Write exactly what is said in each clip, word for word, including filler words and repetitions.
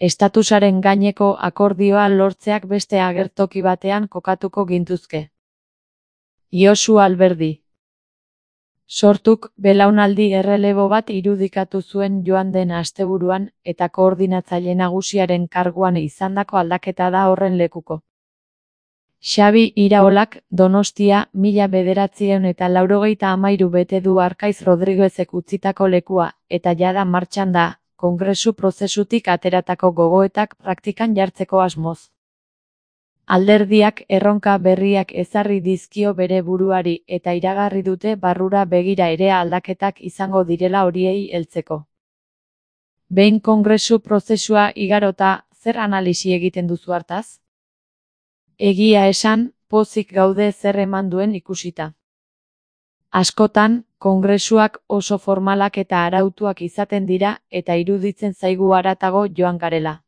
estatusaren gaineko akordioa lortzeak beste agertoki batean kokatuko gintuzke. Josu Alberdi. Sortuk belaunaldi errelebo bat irudikatu zuen joan den asteburuan eta koordinatzaile nagusiaren karguan izandako aldaketa da horren lekuko. Xabi Iraolak Donostia mila bederatziehun eta laurogeita hamairu bete du Arkaiz Rodriguezek utzitako lekua eta jada martxan da, kongresu prozesutik ateratako gogoetak praktikan jartzeko asmoz. Alderdiak erronka berriak ezarri dizkio bere buruari eta iragarri dute barrura begira ere aldaketak izango direla horiei heltzeko. Behin kongresu prozesua igarota, zer analisi egiten duzu hartaz? Egia esan, pozik gaude zer eman duen ikusita. Askotan, kongresuak oso formalak eta arautuak izaten dira eta iruditzen zaigu haratago joan garela.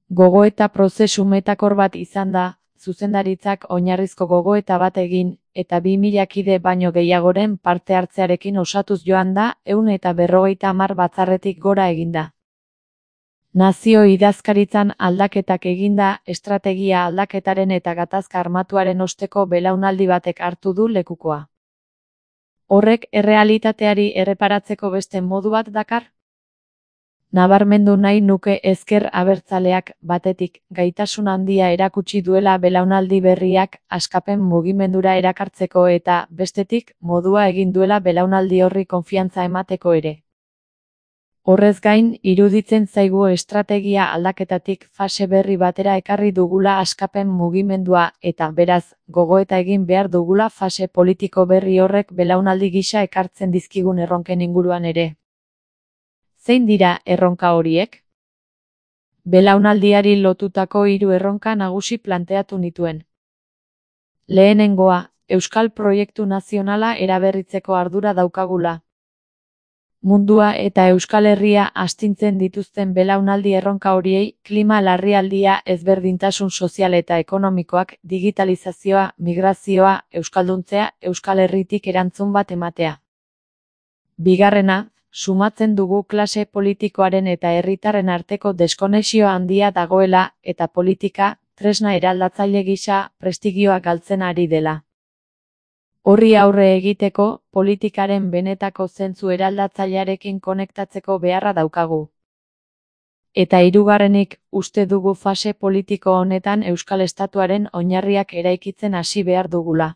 Gogoeta prozesu metakor bat izan da, zuzendaritzak oinarrizko gogoeta bat egin, eta bi mila kide baino gehiagoren parte hartzearekin osatuz joan da, ehun eta berrogeita hamar batzarretik gora eginda. Nazio idazkaritzan aldaketak eginda, estrategia aldaketaren eta gatazka armatuaren osteko belaunaldi batek hartu du lekukoa. Horrek errealitateari erreparatzeko beste modu bat dakar? Nabarmendu nahi nuke ezker abertzaleak, batetik, gaitasun handia erakutsi duela belaunaldi berriak askapen mugimendura erakartzeko eta, bestetik, modua egin duela belaunaldi horri konfiantza emateko ere. Horrez gain, iruditzen zaigu estrategia aldaketatik fase berri batera ekarri dugula askapen mugimendua eta, beraz, gogoeta egin behar dugula fase politiko berri horrek belaunaldi gisa ekartzen dizkigun erronken inguruan ere. Zein dira erronka horiek? Belaunaldiari lotutako hiru erronka nagusi planteatu nituen. Lehenengoa, Euskal Proiektu Nazionala eraberritzeko ardura daukagula. Mundua eta Euskal Herria astintzen dituzten belaunaldi erronka horiei, klima larrialdia, ezberdintasun sozial eta ekonomikoak, digitalizazioa, migrazioa, euskalduntzea, Euskal Herritik erantzun bat ematea. Bigarrena, sumatzen dugu klase politikoaren eta herritarren arteko deskonexio handia dagoela eta politika, tresna eraldatzaile gisa, prestigioa galtzen ari dela. Horri aurre egiteko, politikaren benetako zentzu eraldatzailearekin konektatzeko beharra daukagu. Eta hirugarrenik, uste dugu fase politiko honetan Euskal Estatuaren oinarriak eraikitzen hasi behar dugula.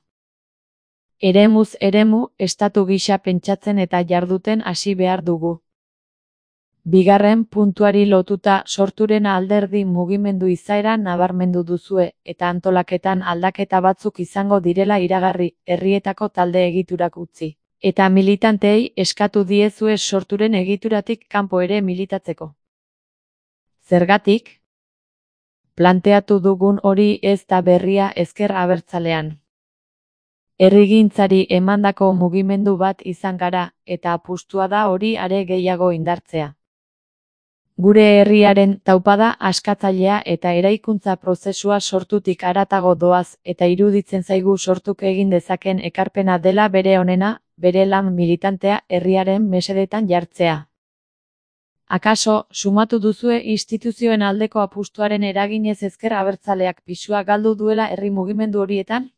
Eremuz eremu, estatu gisa pentsatzen eta jarduten hasi behar dugu. Bigarren puntuari lotuta sorturen alderdi mugimendu izaera nabarmendu duzue, eta antolaketan aldaketa batzuk izango direla iragarri, herrietako talde egiturak utzi. Eta militanteei eskatu diezue sorturen egituratik kanpo ere militatzeko. Zergatik? Planteatu dugun hori ez da berria ezker abertzalean. Herrigintzari emandako mugimendu bat izan gara, eta apustua da hori are gehiago indartzea. Gure herriaren taupada askatzailea eta eraikuntza prozesua sortutik haratago doaz eta iruditzen zaigu sortuk egin dezaken ekarpena dela bere onena, bere lan militantea herriaren mesedetan jartzea. Akaso, sumatu duzue instituzioen aldeko apustuaren eraginez ezker abertzaleak pisua galdu duela herri mugimendu horietan?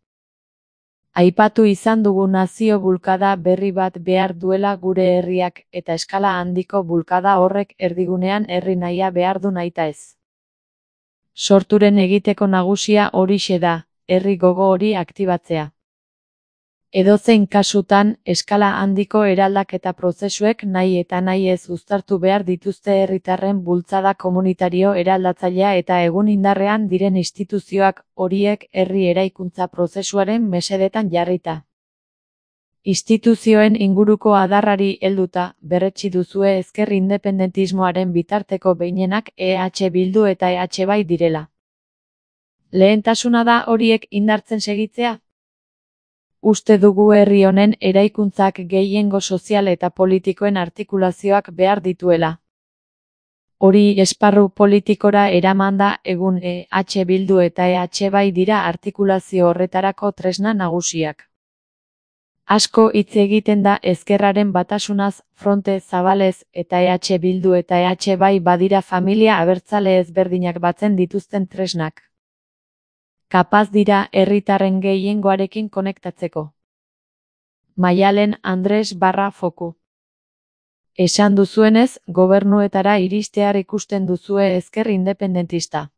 Aipatu izan dugu nazio bulkada berri bat behar duela gure herriak eta eskala handiko bulkada horrek erdigunean herri nahia behar du nahitaez. Sorturen egiteko nagusia horixe da, herri gogo hori aktibatzea. Edozein kasutan, eskala handiko eraldaketa prozesuek nahi eta nahi ez uztartu behar dituzte herritarren bultzada komunitario eraldatzailea eta egun indarrean diren instituzioak horiek herri eraikuntza prozesuaren mesedetan jarrita. Instituzioen inguruko adarrari helduta, berretsi duzue ezker independentismoaren bitarteko behinenak E H Bildu eta E H bai direla. Lehentasuna da horiek indartzen segitzea? Uste dugu herri honen eraikuntzak gehiengo sozial eta politikoen artikulazioak behar dituela. Hori esparru politikora eramanda egun E H Bildu eta E H bai dira artikulazio horretarako tresna nagusiak. Asko hitz egiten da ezkerraren batasunaz, Fronte Zabalez eta E H Bildu eta E H bai badira familia abertzale ezberdinak batzen dituzten tresnak. Kapaz dira herritarren gehiengoarekin konektatzeko. Maialen Andres barra foku. Esan duzuenez, gobernuetara iristear ikusten duzue ezker independentista.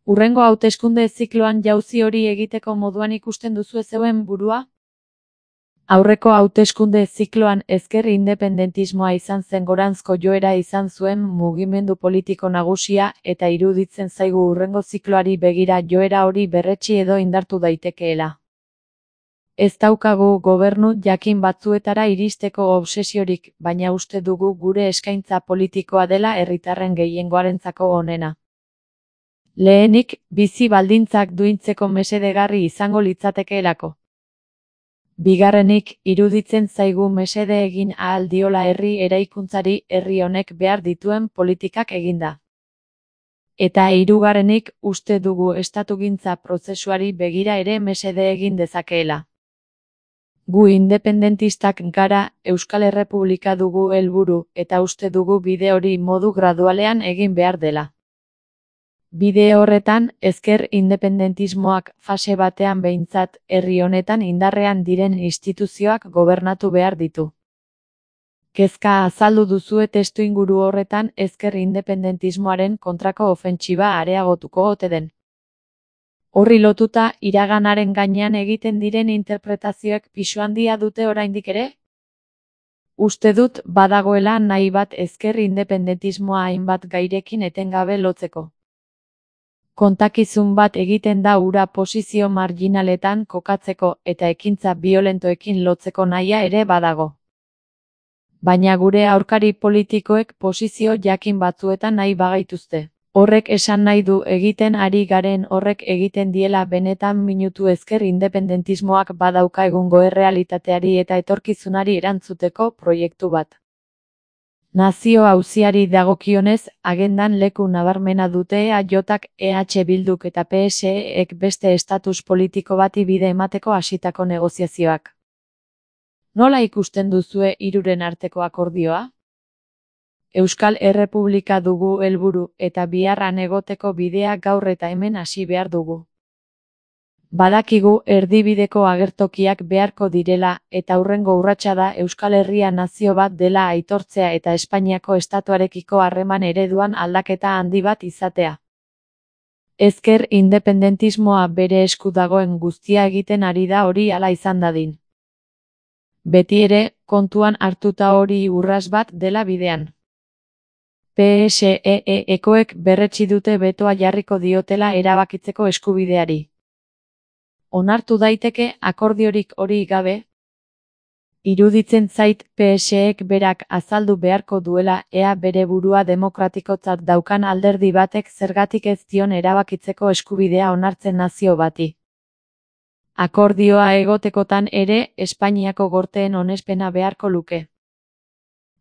Hurrengo hauteskunde zikloan jauzi hori egiteko moduan ikusten duzue zeuen burua? Aurreko hauteskunde zikloan ezker independentismoa izan zen goranzko joera izan zuen mugimendu politiko nagusia eta iruditzen zaigu hurrengo zikloari begira joera hori berretsi edo indartu daitekeela. Ez daukagu gobernu jakin batzuetara iristeko obsesiorik, baina uste dugu gure eskaintza politikoa dela herritarren gehiengoarentzako onena. Lehenik, bizi baldintzak duintzeko mesedegarri izango litzatekeelako. Bigarrenik, iruditzen zaigu mesede egin ahal diola herri eraikuntzari herri honek behar dituen politikak eginda. Eta hirugarrenik, uste dugu estatugintza prozesuari begira ere mesede egin dezakeela. Gu independentistak gara, Euskal Errepublika dugu helburu, eta uste dugu bide hori modu gradualean egin behar dela. Bide horretan, ezker independentismoak fase batean behintzat, herri honetan indarrean diren instituzioak gobernatu behar ditu. Kezka azaldu duzue testuinguru horretan ezker independentismoaren kontrako ofentsiba areagotuko ote den. Horri lotuta, iraganaren gainean egiten diren interpretazioek pisu handia dute oraindik ere? Uste dut badagoela nahi bat ezker independentismoa hainbat gairekin etengabe lotzeko. Kontakizun bat egiten da hura posizio marginaletan kokatzeko eta ekintza biolentoekin lotzeko nahia ere badago. Baina gure aurkari politikoek posizio jakin batzuetan nahi bagaituzte. Horrek esan nahi du egiten ari garen horrek egiten diela benetan minutu ezker independentismoak badauka egungo errealitateari eta etorkizunari erantzuteko proiektu bat. Nazio auziari dagokionez, agendan leku nabarmena dute E A Jk, E H Bilduk eta P S E-ek beste estatus politiko bati bide emateko hasitako negoziazioak. Nola ikusten duzue hiruren arteko akordioa? Euskal Errepublika dugu helburu eta biharran egoteko bidea gaur eta hemen hasi behar dugu. Badakigu erdibideko agertokiak beharko direla eta hurrengo urratsa da Euskal Herria nazio bat dela aitortzea eta Espainiako estatuarekiko harreman ereduan aldaketa handi bat izatea. Ezker independentismoa bere esku dagoen guztia egiten ari da hori hala izan dadin. Beti ere, kontuan hartuta hori urras bat dela bidean. P S E-ekoek berretsi dute betoa jarriko diotela erabakitzeko eskubideari. Onartu daiteke akordiorik hori gabe? Iruditzen zait P S E-ek berak azaldu beharko duela ea bere burua demokratikotzat daukan alderdi batek zergatik ez dion erabakitzeko eskubidea onartzen nazio bati. Akordioa egotekotan ere Espainiako gorteen onespena beharko luke.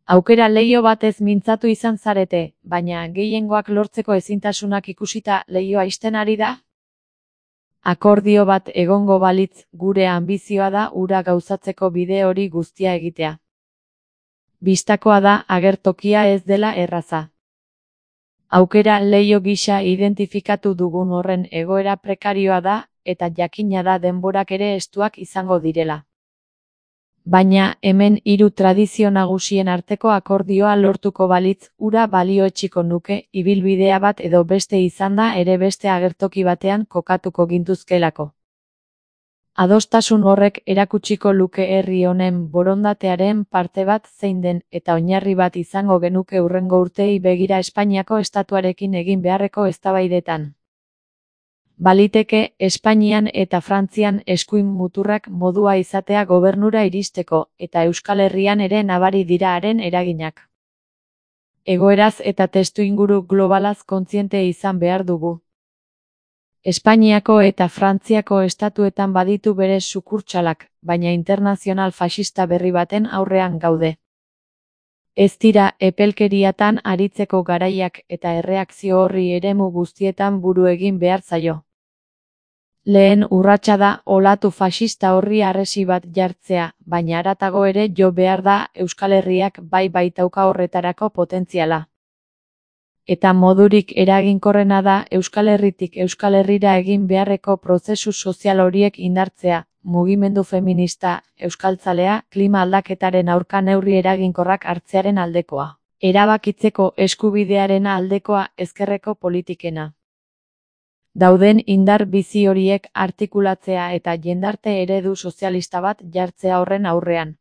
Aukera leiho batez mintzatu izan zarete, baina gehiengoak lortzeko ezintasunak ikusita leihoa ixten ari da? Akordio bat egongo balitz, gure anbizioa da hura gauzatzeko bide hori guztia egitea. Bistakoa da agertokia ez dela erraza. Aukera leiho gisa identifikatu dugun horren egoera prekarioa da, eta jakina da denborak ere estuak izango direla. Baina hemen hiru tradizio nagusien arteko akordioa lortuko balitz, hura balioetsiko nuke, ibilbidea bat edo beste izanda ere beste agertoki batean kokatuko gintuzkelako. Adostasun horrek erakutsiko luke herri honen borondatearen parte bat zein den eta oinarri bat izango genuke hurrengo urteei begira Espainiako estatuarekin egin beharreko eztabaidetan. Baliteke, Espainian eta Frantzian eskuin muturrak modua izatea gobernura iristeko, eta Euskal Herrian ere nabari dira haren eraginak. Egoeraz eta testuinguru globalaz kontziente izan behar dugu. Espainiako eta Frantziako estatuetan baditu bere sukurtsalak, baina internazional faxista berri baten aurrean gaude. Ez dira epelkeriatan aritzeko garaiak eta erreakzio horri eremu guztietan buru egin behar zaio. Lehen urratsa da olatu faxista horri harresi bat jartzea, baina haratago ere jo behar da Euskal Herriak bai baitauka horretarako potentziala. Eta modurik eraginkorrena da Euskal Herritik Euskal Herrira egin beharreko prozesu sozial horiek indartzea, mugimendu feminista, euskaltzalea, klima aldaketaren aurka neurri eraginkorrak hartzearen aldekoa, erabakitzeko eskubidearen aldekoa, ezkerreko politikena. Dauden indar bizi horiek artikulatzea eta jendarte eredu sozialista bat jartzea horren aurrean.